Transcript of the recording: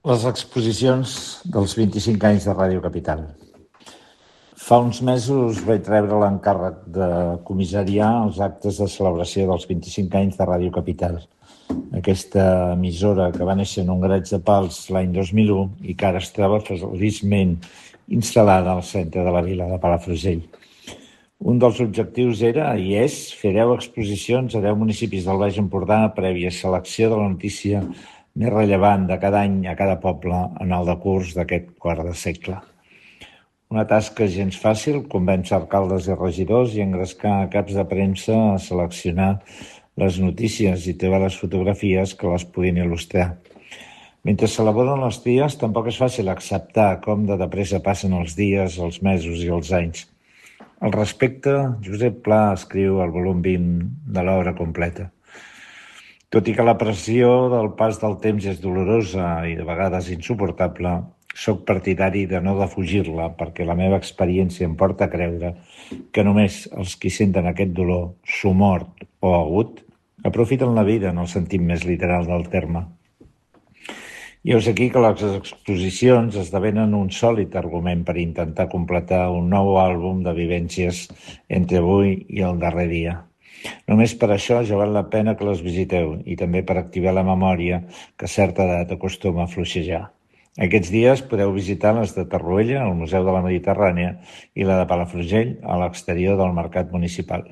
Les exposicions dels 25 anys de Ràdio Capital. Fa uns mesos vaig rebre l'encàrrec de comissariar els actes de celebració dels 25 anys de Ràdio Capital. Aquesta emissora que va néixer en un graig de Pals l'any 2001 i que ara es troba feliçment instal·lada al centre de la vila de Palafrugell. Un dels objectius era i és fer 10 exposicions a 10 municipis del Baix Empordà prèvia selecció de la notícia més rellevant de cada any a cada poble en el decurs d'aquest quart de segle. Una tasca gens fàcil, convèncer alcaldes i regidors i engrescar caps de premsa a seleccionar les notícies i trobar les fotografies que les puguin il·lustrar. Mentre s'elaboren els dies, tampoc és fàcil acceptar com de pressa passen els dies, els mesos i els anys. Al respecte, Josep Pla escriu el volum 20 de l'obra completa. Tot i que la pressió del pas del temps és dolorosa i de vegades insuportable, soc partidari de no defugir-la perquè la meva experiència em porta a creure que només els qui senten aquest dolor, somort o agut, aprofiten la vida en el sentit més literal del terme. I heus aquí que les exposicions esdevenen un sòlid argument per intentar completar un nou àlbum de vivències entre avui i el darrer dia. Només per això ja val la pena que les visiteu i també per activar la memòria que a certa edat acostuma a fluixejar. Aquests dies podeu visitar les de Torroella, al Museu de la Mediterrània, i la de Palafrugell, a l'exterior del Mercat Municipal.